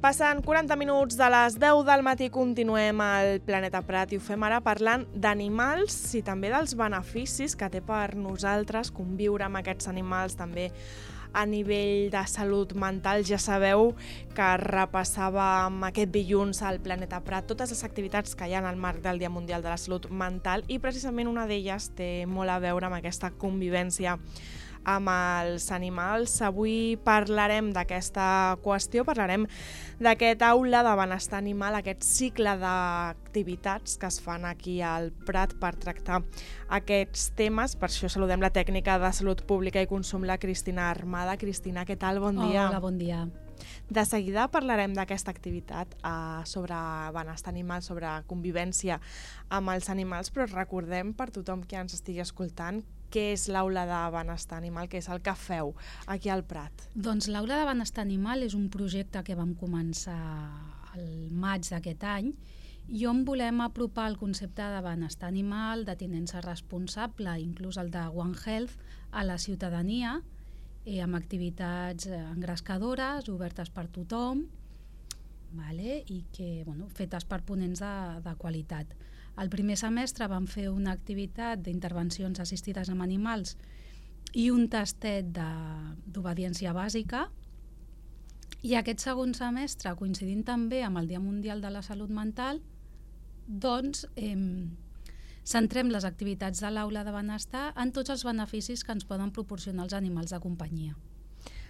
Passen 40 minuts de les 10 del matí, continuem al Planeta Prat i ho fem ara parlant d'animals i també dels beneficis que té per nosaltres conviure amb aquests animals, també a nivell de salut mental. Ja sabeu que repassàvem aquest dilluns al Planeta Prat totes les activitats que hi ha en el marc del Dia Mundial de la Salut Mental i precisament una d'elles té molt a veure amb aquesta convivència amb els animals. Avui parlarem d'aquesta qüestió, parlarem d'aquest aula de benestar animal, aquest cicle d'activitats que es fan aquí al Prat per tractar aquests temes. Per això saludem la tècnica de Salut Pública i Consum, la Cristina Armada. Cristina, què tal? Bon dia. Hola, bon dia. De seguida parlarem d'aquesta activitat sobre benestar animal, sobre convivència amb els animals, però recordem per tothom que ens estigui escoltant què és l'Aula de Benestar Animal, què és el que feu aquí al Prat. Doncs l'Aula de Benestar Animal és un projecte que vam començar al maig d'aquest any i on volem apropar el concepte de benestar animal, de tinença responsable, inclús el de One Health, a la ciutadania, amb activitats engrescadores, obertes per tothom, i que, fetes per ponents de qualitat. El primer semestre vam fer una activitat d'intervencions assistides amb animals i un tastet d'obediència bàsica, i aquest segon semestre, coincidint també amb el Dia Mundial de la Salut Mental, doncs centrem les activitats de l'Aula de Benestar en tots els beneficis que ens poden proporcionar els animals de companyia.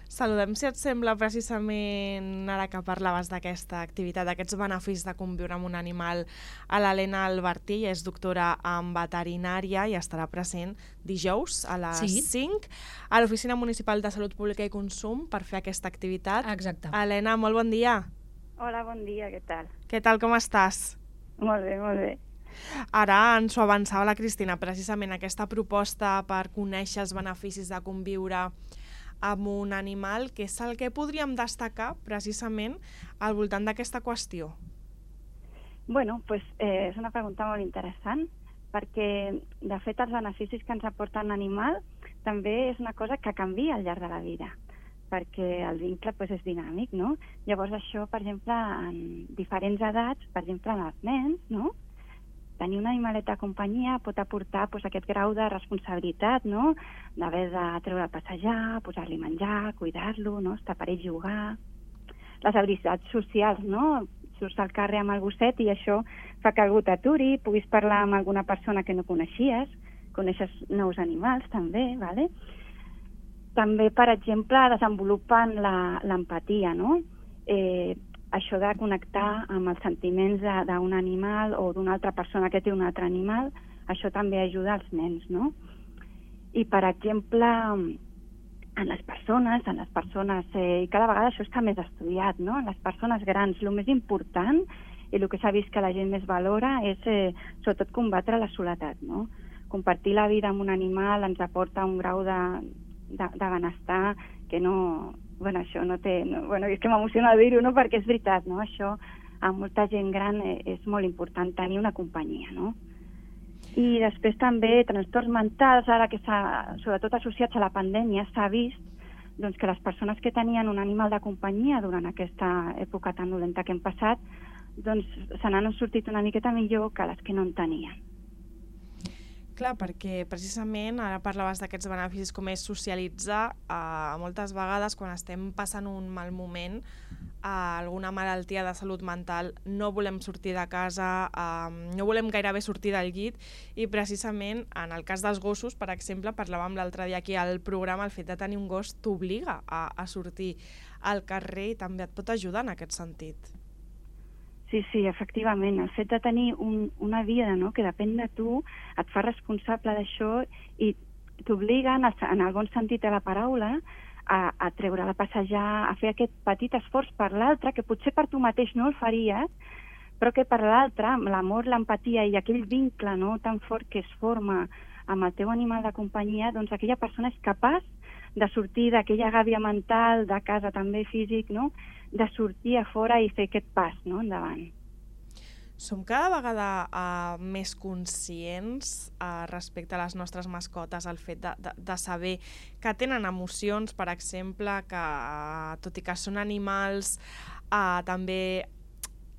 Saludem, si et sembla, precisament ara que parlaves d'aquesta activitat, d'aquests beneficis de conviure amb un animal, a l'Helena Albertí, és doctora en veterinària i estarà present dijous a les 5 a l'Oficina Municipal de Salut Pública i Consum per fer aquesta activitat. Exacte. Helena, molt bon dia. Hola, bon dia, què tal? Què tal, com estàs? Molt bé, molt bé. Ara ens ho avançava la Cristina, precisament aquesta proposta per conèixer els beneficis de conviure amb un animal, que és el que podríem destacar precisament al voltant d'aquesta qüestió. Bueno, és una pregunta molt interessant, perquè de fet els beneficis que ens aporta un animal també és una cosa que canvia al llarg de la vida, perquè el vincle és dinàmic, no? Llavors això, per exemple, en diferents edats, per exemple, en els nens, no? Tenir un animalet de companyia pot aportar aquest grau de responsabilitat, no? D'haver de treure a passejar, posar-li menjar, cuidar-lo, no? Estar per ell, jugar. Les habilitats socials, no? Surts al carrer amb el gosset i això fa que algú t'aturi, puguis parlar amb alguna persona que no coneixies, coneixes nous animals també, ¿vale? També, per exemple, desenvolupen l'empatia, no? Això de connectar amb els sentiments d'un animal o d'una altra persona que té un altre animal, això també ajuda als nens, no? I, per exemple, en les persones, i cada vegada això està més estudiat, no? En les persones grans, el més important i el que s'ha vist que la gent més valora és sobretot combatre la soledat, no? Compartir la vida amb un animal ens aporta un grau de benestar que no... això no té... és que m'emociona dir-ho, no? Perquè és veritat, no? Això a molta gent gran és molt important, tenir una companyia, no? I després també trastorns mentals, ara que sobretot associats a la pandèmia, s'ha vist que les persones que tenien un animal de companyia durant aquesta època tan dolenta que hem passat, se n'han sortit una miqueta millor que les que no en tenien. Clar, perquè precisament ara parlaves d'aquests beneficis, com és socialitzar. Moltes vegades quan estem passant un mal moment, alguna malaltia de salut mental, no volem sortir de casa, no volem gairebé sortir del llit, i precisament en el cas dels gossos, per exemple, parlàvem l'altre dia aquí al programa, el fet de tenir un gos t'obliga a sortir al carrer i també et pot ajudar en aquest sentit. Sí, efectivament. El fet de tenir una vida, no?, que depèn de tu, et fa responsable d'això i t'obliga, en el bon sentit de la paraula, a treure-la a passejar, a fer aquest petit esforç per l'altre, que potser per tu mateix no el faries, però que per l'altre, amb l'amor, l'empatia i aquell vincle, no?, tan fort que es forma amb el teu animal de companyia, doncs aquella persona és capaç de sortir d'aquella gàbia mental, de casa també físic, no?, de sortir a fora i fer aquest pas, no?, endavant. Som cada vegada més conscients respecte a les nostres mascotes, el fet de saber que tenen emocions, per exemple, que tot i que són animals també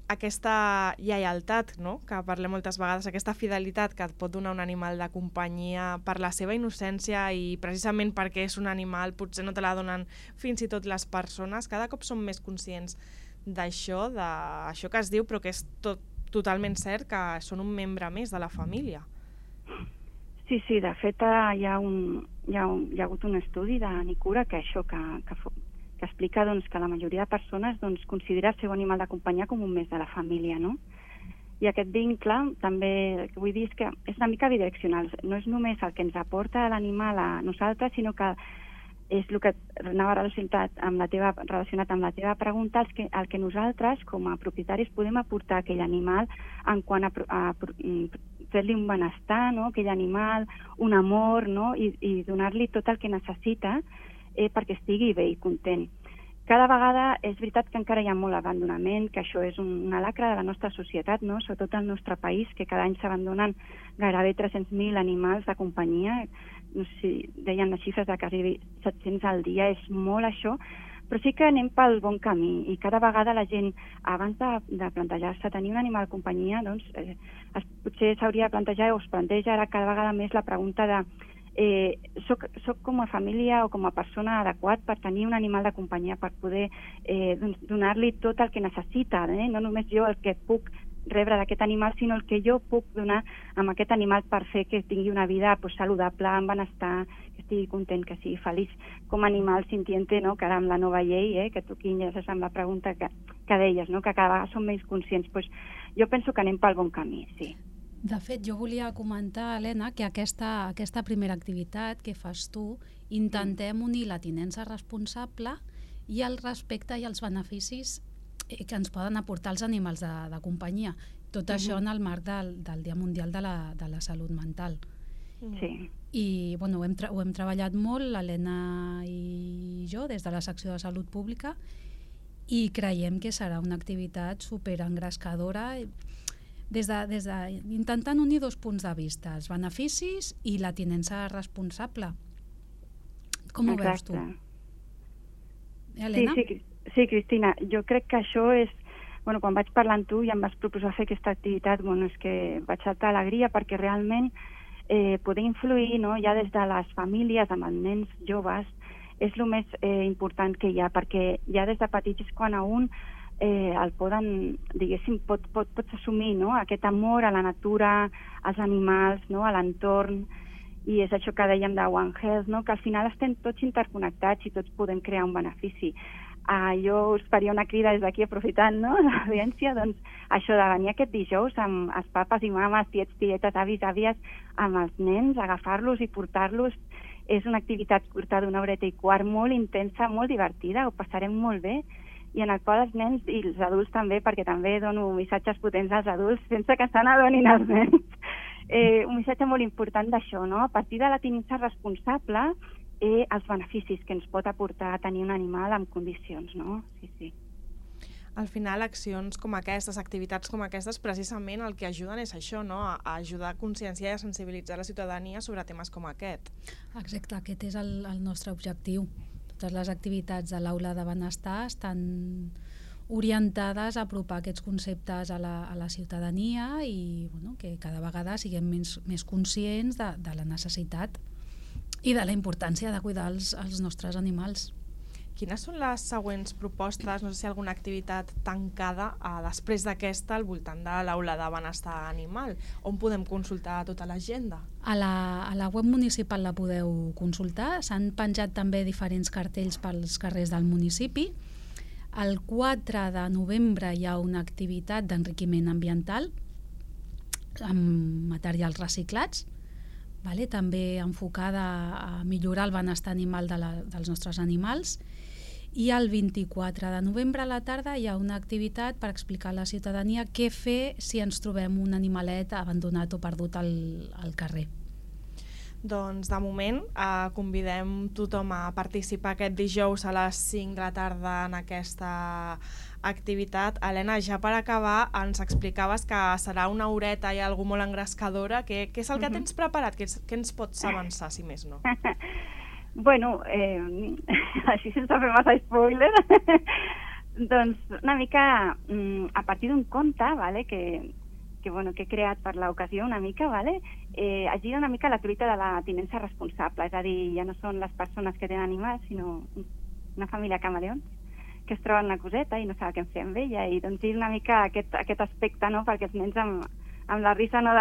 aquesta lleialtat, no?, que parlem moltes vegades, aquesta fidelitat que et pot donar un animal de companyia per la seva innocència i precisament perquè és un animal, potser no te la donen fins i tot les persones. Cada cop som més conscients d'això que es diu, però que és totalment cert, que són un membre més de la família. Sí, de fet hi ha hagut un estudi de Nicura que explica que la majoria de persones considera el seu animal de companyia com un més de la família, no? I aquest vincle també, el que vull dir és que és una mica bidireccional, no és només el que ens aporta l'animal a nosaltres, sinó que és el que anava relacionat amb la teva pregunta, el que nosaltres, com a propietaris, podem aportar a aquell animal en quant a fer-li un benestar, no?, aquell animal, un amor, no?, i donar-li tot el que necessita perquè estigui bé i content. Cada vegada és veritat que encara hi ha molt abandonament, que això és una lacra de la nostra societat, no?, sobretot al nostre país, que cada any s'abandonen gairebé 300.000 animals de companyia. No sé si deien les xifres de quasi 700 al dia, és molt això, però sí que anem pel bon camí i cada vegada la gent, abans de plantejar-se tenir un animal de companyia, potser s'hauria de plantejar o es planteja ara cada vegada més la pregunta de soc com a família o com a persona adequat per tenir un animal de companyia, per poder donar-li tot el que necessita, no només jo el que puc rebre d'aquest animal, sinó el que jo puc donar amb aquest animal per fer que tingui una vida saludable, amb benestar, que estigui content, que sigui feliç com a animal sintiente, no?, que ara amb la nova llei, que tu aquí enllaces amb la pregunta que deies, no?, que cada vegada som més conscients. Jo penso que anem pel bon camí, sí. De fet, jo volia comentar, Helena, que aquesta primera activitat que fas tu, intentem unir la tinença responsable i el respecte i els beneficis que ens poden aportar els animals de companyia. Tot això en el marc del Dia Mundial de la Salut Mental. Sí. I ho hem treballat molt, l'Helena i jo, des de la secció de Salut Pública, i creiem que serà una activitat superengrescadora, intentant unir dos punts de vista, els beneficis i la tinença responsable. Com ho veus tu? Helena? Sí, Cristina, jo crec que això és... quan vaig parlar amb tu i em vas proposar fer aquesta activitat, és que vaig saltar alegria perquè realment poder influir, no?, ja des de les famílies amb els nens joves és el més important que hi ha, perquè ja des de petits és quan a un el poden, diguéssim, pots assumir, no?, aquest amor a la natura, als animals, no?, a l'entorn, i és això que dèiem de One Health, no?, que al final estem tots interconnectats i tots podem crear un benefici. Jo us faria una crida des d'aquí, aprofitant, no?, l'audiència, això de venir aquest dijous amb els papes i mames, tiets, tietes, avis, àvies, amb els nens, agafar-los i portar-los. És una activitat curta d'1 horeta i quart, molt intensa, molt divertida, ho passarem molt bé, i en el qual els nens i els adults també, perquè també dono missatges potents als adults sense que se n'adonin els nens. Un missatge molt important d'això, no?, a partir de la tinença responsable, els beneficis que ens pot aportar tenir un animal en condicions, no? Sí. Al final, accions com aquestes, activitats com aquestes, precisament el que ajuden és això, no?, a ajudar a conscienciar i a sensibilitzar la ciutadania sobre temes com aquest. Exacte, aquest és el nostre objectiu. Totes les activitats de l'Aula de Benestar estan orientades a apropar aquests conceptes a la ciutadania i que cada vegada siguem més conscients de la necessitat i de la importància de cuidar els nostres animals. Quines són les següents propostes, no sé si alguna activitat tancada després d'aquesta al voltant de l'Aula de Benestar Animal? On podem consultar tota l'agenda? A la web municipal la podeu consultar. S'han penjat també diferents cartells pels carrers del municipi. El 4 de novembre hi ha una activitat d'enriquiment ambiental amb materials reciclats, també enfocada a millorar el benestar animal dels nostres animals. I el 24 de novembre a la tarda hi ha una activitat per explicar a la ciutadania què fer si ens trobem un animalet abandonat o perdut al carrer. Doncs de moment convidem tothom a participar aquest dijous a les 5 de la tarda en aquesta activitat. Helena, ja per acabar, ens explicaves que serà 1 horeta i alguna molt engrescadora. Què és el que tens preparat? Què ens pots avançar, si més no? Bueno, així sense fer massa spoiler, Doncs una mica a partir d'un conte, vale, que he creat per l'ocasió una mica, vale, es gira una mica la truita de la tinença responsable, és a dir, ja no són les persones que tenen animals, sinó una família camaleons que es troben una coseta i no saben què fer amb ella, i doncs gira una mica aquest aspecte, no?, perquè els nens amb la risa, no,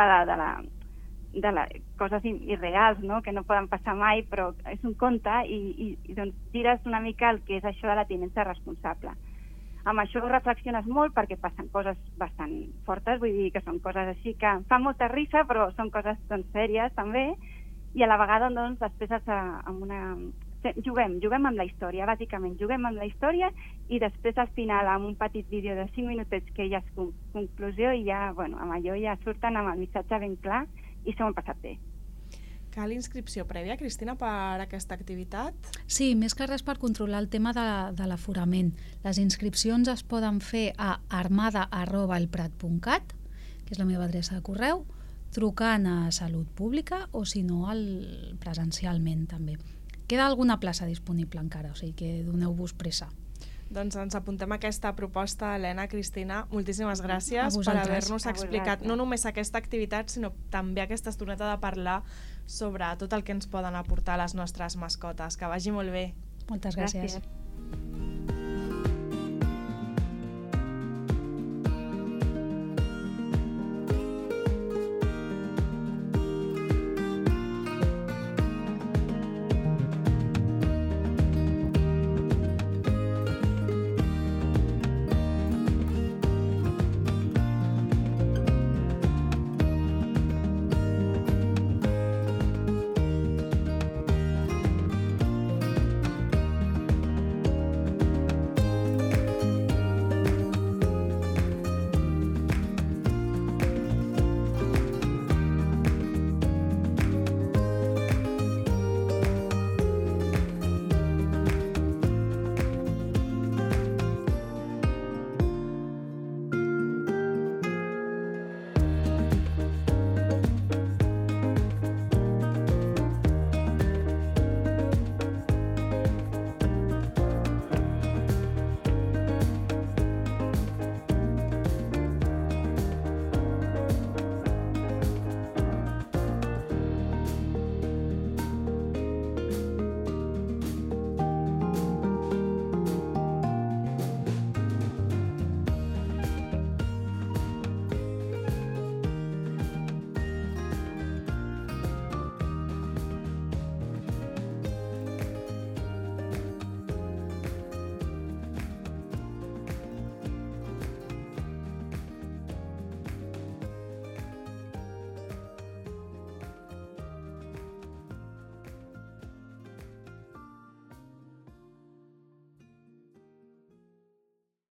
de les coses irreals, no?, que no poden passar mai, però és un conte i doncs gires una mica el que és això de la tinença responsable. Amb això reflexiones molt perquè passen coses bastant fortes, vull dir que són coses així que fan molta risa, però són coses doncs sèries també, i a la vegada doncs després juguem amb la història, bàsicament juguem amb la història, i després al final amb un petit vídeo de 5 minutets que ja és conclusió, i ja, bueno, amb allò ja surten amb el missatge ben clar i s'ho han passat bé. Cal inscripció prèvia, Cristina, per aquesta activitat? Sí, més que res per controlar el tema de l'aforament. Les inscripcions es poden fer a armada@elprat.cat, que és la meva adreça de correu, trucant a Salut Pública o, si no, presencialment també. Queda alguna plaça disponible encara, o sigui que doneu-vos pressa. Doncs ens apuntem a aquesta proposta, Helena. Cristina, moltíssimes gràcies per haver-nos explicat no només aquesta activitat, sinó també aquesta estoneta de parlar sobre tot el que ens poden aportar les nostres mascotes. Que vagi molt bé. Moltes gràcies. Gràcies.